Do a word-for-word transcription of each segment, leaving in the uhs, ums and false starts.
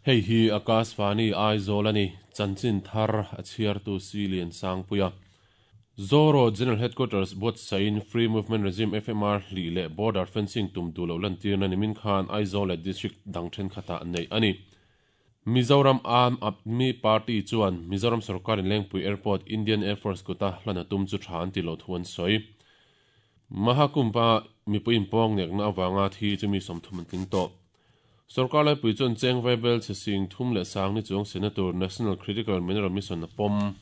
Hei hi Akashvani Aizawl ani chanchin thar a chhiartu Silian Sangpuia. Zoro General Headquarters buatsain Free Movement Regime F M R hli leh Border Fencing tum duh loh lantirna nimin khan Aizawl leh District dang thenkhatah nei ani. Mizoram Aam Aadmi Party chuan Mizoram Sarkarin Lengpui Airport Indian Air Force kuta hlana tum chu tha an ti lo thu an sawi. Mahakumbha mipui inpawng nekna awanga thi chu mi sawmthum an tling tawh. Sarkar laipui chuan cheng vaibel che sing thum leh sang ni chuang Senator National Critical Mineral Mission a pawm.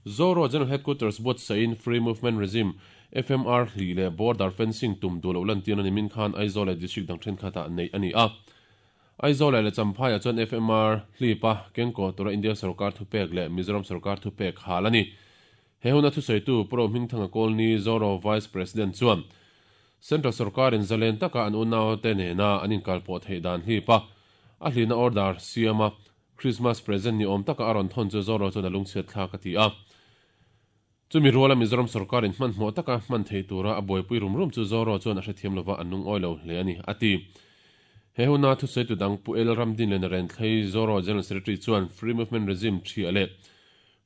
Zoro General Headquarters buatsain Free Movement Regime F M R hli leh Border Fencing tum duh loh lantirna nimin khan Aizawl leh District dang thenkhatah nei ani a. Aizawl leh Champhai ah chuan F M R hlipa kengkaw tura India Sarkar thupek leh Mizoram Sarkar thupek hal ani. He huna thusawitu Pro Hmingthanga Kawlni Zoro Vice President chuan Central Sarkarin zalen taka an unau te nena an inkalpawh theih dan hlipa a hlina order siama Christmas present ni awm taka a rawn thawn chu Zoro chuan a lungchhiat thlak a ti a. Chumi ruala Mizoram Sarkarin hmanhmawh taka hman thei tura a buaipui rum rum chu Zoro chuan a hrethiam lova an lungawi lo hle ani a ti. He huna thusawitu dang Pu El Ramdin leh Naren Thlei Zoro General Secretary chuan Free Movement Regime thia leh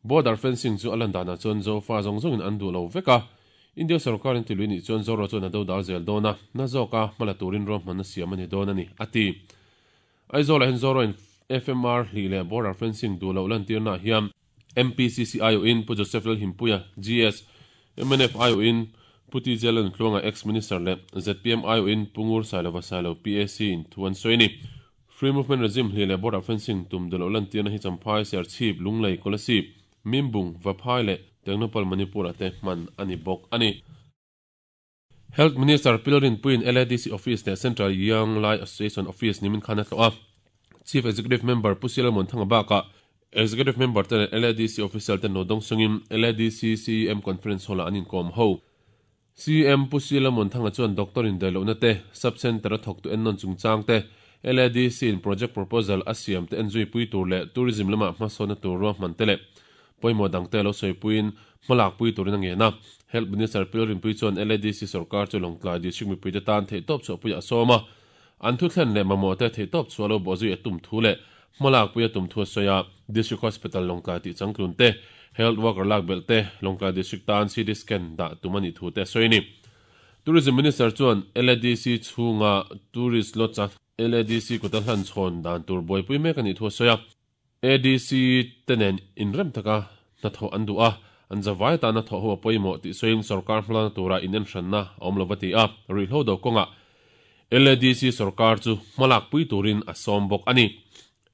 Border Fencing chu a lan danah chuan Zofa zawng zawngin an duh lo vek a. India Sarkarin tilui nih chuan Zoro chuan a do dal zel dawn a, na zawka hmala turin ruahman a siam ani dawn ani a ti. Aizawl ah hian Zoro in F M R hli leh Border Fencing duh loh lantirna hian M P C C I O in Pu Joseph Lalhimpuia G S, M N F I O in Pu T J Lalnuntluanga ex-minister leh Z P M I O in Pu Ngur Sailova Sailo P A C in thu an sawi ni. Free Movement Regime hli leh Border Fencing tum duh loh lantirna hi Champhai, Serchhip, Lunglei, Kolasib, Mimbung, Vaphai leh Tengnoupal Manipur te hman ani bawk ani. Health Minister Pilrin Puin L A D C Office leh Central Young Lai Association Office nimin khan a tlawh a. Chief Executive Member Pu Silamon Thanga bakah Executive Member te leh L A D C Official te no dawng sungin L A D C C M Conference Hall ah an inkawm ho. C M Pu Silamon Thanga chuan doctor in dailohna te, sub center a thawk tu ennawn chungchang te, L A D C in project proposal a siam te enzui pui tur leh tourism lamah hmasawnna tur ruahman te leh pawimawh dang te lo sawipuiin hmalak pui turin a ngen a. Health Minister Pilrin Pui chuan L A D C sarkar chu Lawngtlai District mipui te tan theihtawp chhuahpui a sawm a. An thu thlen leh mamawh te theihtawp chhuah lo bawhzui a tum thu leh hmalak pui a tum thu a sawi a. District Hospital Lawngtlai tih changtlun te, Health Worker lak belh te, Lawngtlai District tan C T scan dah tum ani thu te a sawi ni. Tourism Minister chuan L A D C chhunga tourist lodge a L A D C kuta hlan chhawn dan tur buaipui mek ani thu a sawi a. A D C te nen inrem taka hnathawh an duh a, an zawai tana thawh ho a pawimawh tih sawiin sarkar hmalana tura in enhranna a awm lova ti a, ruihhlo do kawngah L A D C sarkar chu hmalak pui turin a sawm bawk ani.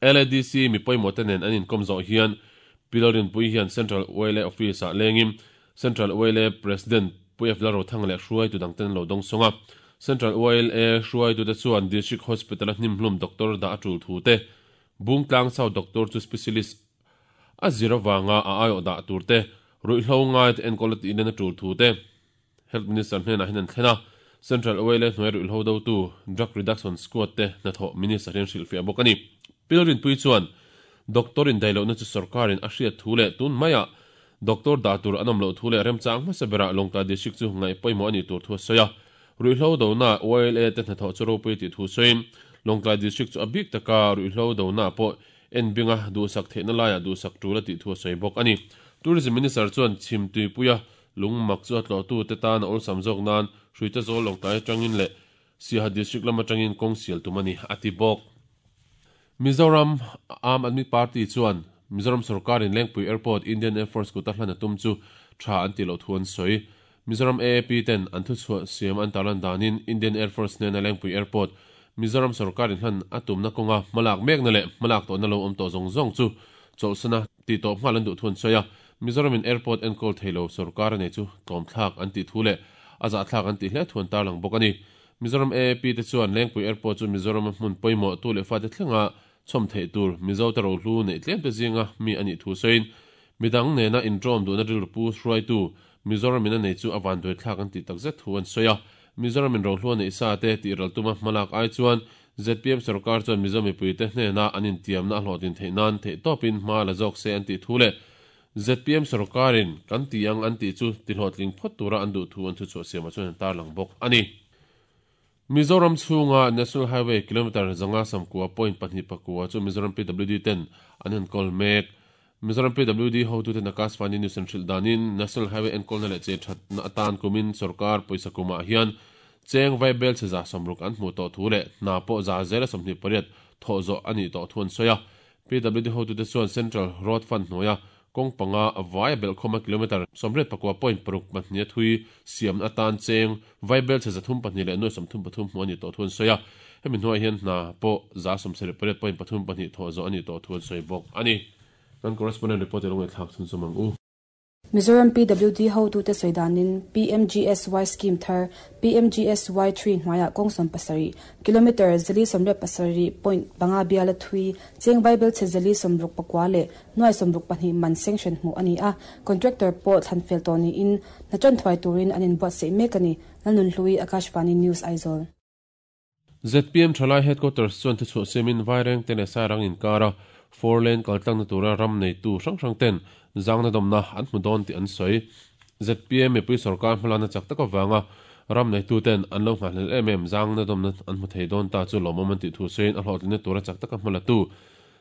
L A D C mi pawimawh te nen an inkawm zawh hian Pilrin Pui hian Central Oil A Office ah lengin Central Oil A President Pu F Lalrothanga leh hruaitu dang ten lo dawng sawng a. Central Oil A hruaitu te chuan District Hospital a hnimhlum doctor dah a tul thu te, Bungtlang South doctor chu specialist a zir awanga a aiawh dah tur te, ruihhlo ngai te enkawl a tih nen a tul thu te, Health Minister hnenah hian an thlen a. Central Oil A hnuai ruihhlo do tu Drug Reduction Squad te hnathawh Minister hian hrilhfiah bawk ani. Pilrin Pui chuan doctor in dailohna chu sarkarin a hriat thu leh tun maiah doctor dah tur an awm loh thu leh remchang hmasa berah Lawngtlai District chu ngaih pawimawh ani tur thu a sawi a. Ruihhlo dona Oil A te hnathawh chu ropui tih thu sawiin Lawngtlai District chu a bik taka ruihhlo dona pawh enbinga duhsak theihna laiah duhsak tul a tih thu a sawi bawk ani. Tourism Minister chuan chhim tuipuia lungmak chu a tlawhtu te tan a awlsam zawk nan hruite zawl Lawngtlai atangin leh Siaha District lam atangin kawng sial tum ani a ti bawk. Mizoram Aam Aadmi Party chuan Mizoram Sarkarin Lengpui Airport Indian Air Force kuta hlan a tum chu tha an ti loh thu an sawi. Mizoram A A P ten an thu chhuah siam an tarlan danin Indian Air Force nena Lengpui Airport Mizoram Sarkarin hlan a tumna kawnga hmalak mekna leh hmalak tawhna lo awm tawh zawng zawng chu chawlhsana ti tawh nghal an duh thu an sawi a. Mizoramin Airport enkawl theilo sarkar nei chu tlawmthlak an tih thu leh a zahthlak an tih hle thu an tarlang bawk ani. Mizoram A A P te chuan Lengpui Airport chu Mizoram a hmun pawimawh tu leh fate thlenga chhawm theih tur Mizo te rohlu neih tlem te zinga mi ani thu sawiin midang nena intawm duhna rilru hruaitu Mizoramin a nei chu a vanduai thlak an tih takzet thu an sawi a. Mizoramin rohlu a neih sa te tih ral tuma hmalak ai chuan Z P M sarkar chuan Mizo mipui te hnena an intiamna a hlawhtin theih nan theih tawpin hma la zawk se an tih thu leh Z P M sarkarin kan ti ang an tih chu ti hlawhtling phawt tura an duh thu an thu chhuah siamah chuan an tarlang bawk ani. Mizoram chhunga National Highway kilometer zanga samkua point pahnih pakua chu Mizoram P W D ten an enkawl mek. Mizoram P W D hotu ten Akashvani News an hrilh danin National Highway enkawlna leh che thatna atan kumin sarkar pawisa kumah hian cheng vaibel che za sawmruk an hmu tawh thu leh hna pawh za zela sawmhnih pariat thawh zawh a nih tawh thu an sawi a. P W D hotu te chuan Central Road Fund hnuaia kawng panga vai bel khawma kilometer sawmriat pakua point paruk pahnih thui siam atan cheng vaibel che zathum pahnih leh nuai sawmthum pathum hmu a nih tawh thu an sawi a. Hemi hnuaiah hian hna pawh za sawmsarih pariat point pathum pahnih thawh zawh a nih tawh thu an sawi bawk a ni. Kan correspondent report elong thlak chun chumang u. Mizoram P W D hotu te soidanin P M G S Y scheme thar P M G S Y three hnuaia kawng pasarih kilometer zali sawmriat pasarih point panga biala thui cheng vaibel che zali sawmruk pakua leh nuai sawmruk pahnih man sanction hmu ani a. Contractor pawh thlanfel tawh niin hna thuai turin an inbuatsaih mek ani. Lalnun Hlui, Akashvani News, Aizawl. Z P M Thalai headquarters chuan thuchhuah siamin vaireng te leh sairang inkara four lane kaltlang na tura ram nei tu hrang hrang ten zangna domna an hmu dawn tih an sawi. Z P M mipui sarkar hmalana chak taka wanga ram nei tu ten an lo nghahlel em em zangna domna an hmu thei dawn ta chu lawmawm an tih thu sawiin a hlawhtlinna tura chak taka hmala tu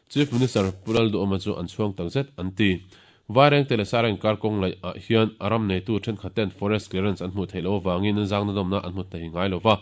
Chief Minister Pulal Duhoma chu an chhuang tak zet an ti. Vaireng te leh sairang inkar kawng laih ah hian a ram nei tu thenkhat ten forest clearance an hmu thei lo wangin zangna domna an hmu thei ngai lova.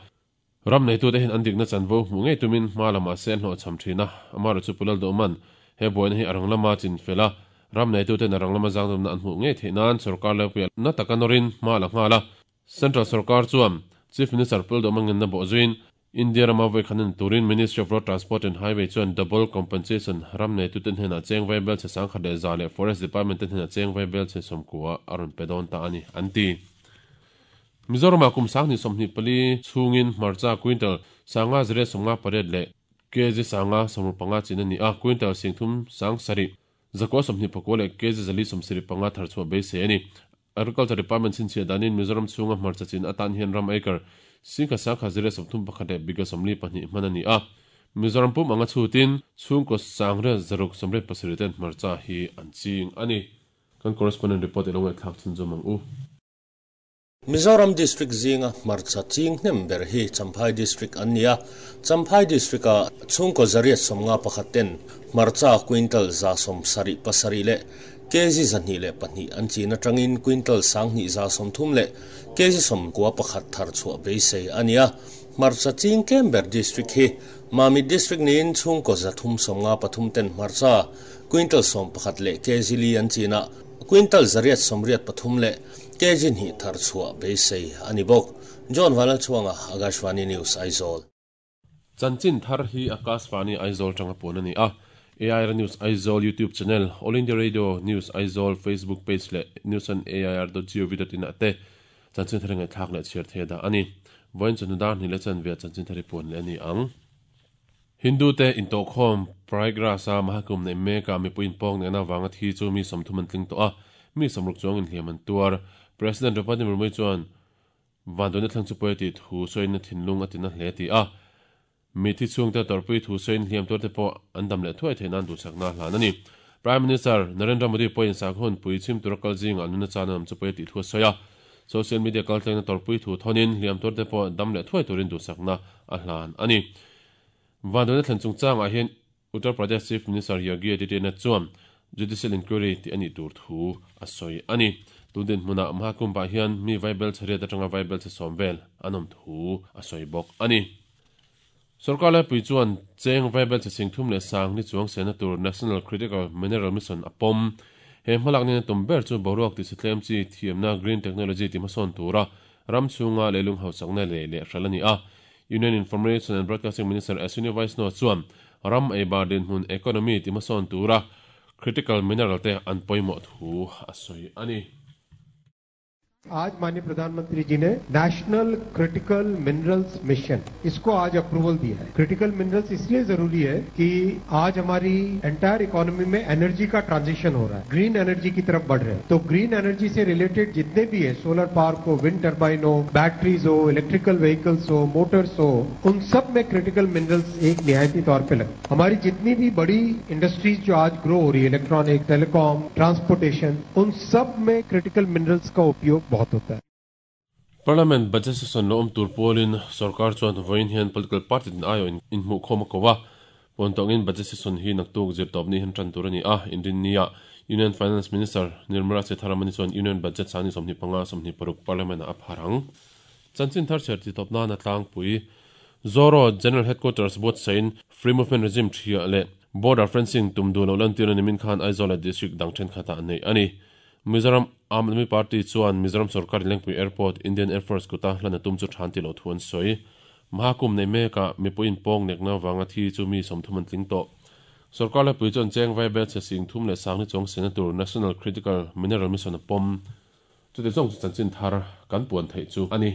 Ram nei tu te hin an dikna chanvo hmu ngei tumin hma lamah sen hlawh cham thina. Amaro chu Pulal Duhoman he buaina hi arang lama chin fela ram nei tu ten arang lama zangdomna an hmu ngei theih nan sarkar lepuia na taka nawrin hma la nghala. Central sarkar chuan Chief Minister Pulal Duhoma ngen na bawh zuin India rama voi khanin turin Ministry of Road Transport and Highway chuan double compensation ram nei tu ten hena cheng vaibel che sangkhat leh za leh Forest Department ten hena cheng vaibel che sawmkua a rawn pe dawn ta ani an ti. Mizoram kum sang ni sawmhnih pali chhungin hmarcha quintal sanga zire sawmnga pariat leh kg sanga sawmruk panga chin ani a. Quintal singthum sang sarih zakua sawmhnih pakua leh kg zali sawmsarih panga tharchhuah beisei ani. Agriculture Department chinchhiah danin Mizoram chhunga hmarcha chin atan hian ram acre singkha sangkha zire sawmthum pakhat leh biga sawmli pahnih hman ani a. Mizoram pum anga chhutin chhungkaw sangre zaruk sawmriat pasarih ten hmarcha hi an ching ani. Kan correspondent report elong thlak chun chumang u. Mizoram District zinga hmarcha ching hnem ber hi Champhai District ania. Champhai District a chhungkaw zariat sawmnga pakhat ten hmarcha quintal za sawmsarih pasarih leh kg zahnih leh pahnih an chin atangin quintal sanghnih za sawmthum leh kg sawmkua pakhat thar chhuah beisei ania. Hmarcha ching tlem ber district hi Mami District niin chhungkaw zathum sawmnga pathum ten hmarcha quintal sawm pakhat leh kg li an china quintal zariat sawmriat pathum leh kg hnih thar chhuah beisei ani bawk. John Vanal Chuanga, Akashvani News, Aizawl. Chanchin thar hi Akashvani Aizawl tanga pun ani a. A I R News Aizawl YouTube channel, All India Radio News Aizawl Facebook page leh news on A I R dot gov dot in ate chanchin thar ngai thlak leh chhiar the da ani. Voin chunu dar ni le chan ve chanchin thari pun le ani ang. Hindu te intokhom Prayagraj a Mahakumbh nei meka mipuin pawng nena wanga thi chu mi sawmthum an tling tawh a. Mi sawmruk chuang in hliam an tuar. President Draupadi Murmu chuan vanduaina thlang chu pawi tih thu sawiin thinlung a tina hle ti a. Mi thi chhung te tawrpui thu sawiin hliam tuar te pawh an dam leh thuai theih nan duhsakna hlan ani. Prime Minister Narendra Modi pawhin sakhun pui chhim tura kal zinga nuna chan am chu pawi tih thu a sawi a. Social media kaltlangna tawrpui thu thonin hliam tuar te pawh dam leh thuai turin duhsakna a hlan ani. Vanduaina thlen chungchangah hian Uttar Pradesh Chief Minister Yogi Adityanath chuan judicial inquiry ti ani tur thu a sawi ani. Tundin hmuna Mahakumbh hian mi vaibel chhariat atanga vaibel che sawm vel an awm thu a sawi bawk ani. Sarkar laipui chuan cheng vaibel che singthum leh sang ni chuang sena tur National Critical Mineral Mission a pawm. He hmalak nena tum ber chu boruak ti sitlem chi thiamna green technology ti hmasawn tura ram chhunga leilung hausakna leh leh hral ani a. Union Information and Broadcasting Minister Ashwini Vaishnaw chuan ram eibar dinhmun economy ti hmasawn tura critical mineral te an pawimawh thu a sawi ani. आज माननीय प्रधानमंत्री जी ने national critical minerals mission इसको आज approval दिया है। Critical minerals इसलिए जरूरी है कि आज हमारी एंटायर इकोनॉमी में एनर्जी का ट्रांजिशन हो रहा है, ग्रीन एनर्जी की तरफ बढ़ रहे हैं। तो ग्रीन एनर्जी से रिलेटेड जितने भी है, सोलर पावर हो, विंड टर्बाइन हो, बैटरीज हो, इलेक्ट्रिकल व्हीकल्स हो, मोटर्स हो, उन सब में क्रिटिकल मिनरल्स एक निहायती तौर पर लगते। हमारी जितनी भी बड़ी इंडस्ट्रीज जो आज ग्रो हो रही है, electronic, telecom, transportation, उन सब में क्रिटिकल मिनरल्स का उपयोग बहुत होता है। Parliament budget session lo om tur polin sarkar chuan voin hian political party tin ayo in in mu khoma kowa pontongin budget session hi naktuk zir top ni han tran tur ani a indin nia Union Finance Minister Nirmala Sitharaman chuan Union budget sani somni panga somni paruk parliament a pharang chanchin thar cher ti topna na tlang pui Zoro General Headquarters bot sain Free Movement Regime thia le border fencing tum du lo lan tir ni min khan Aizawl district dang then khata nei ani Mizoram Aam Aadmi Party chuan Mizoram Sarkar Lengpui Airport Indian Air Force kuta hlana tum chu than ti lo thuan soi mahakum nei me ka mipuin pong nekna wanga thi chu mi somthuman tling to Sarkar la pui chuan cheng vai bet se sing thum le sang ni chong senator National Critical Mineral Mission pom chu te chong chanchin thar kan puan thei chu ani.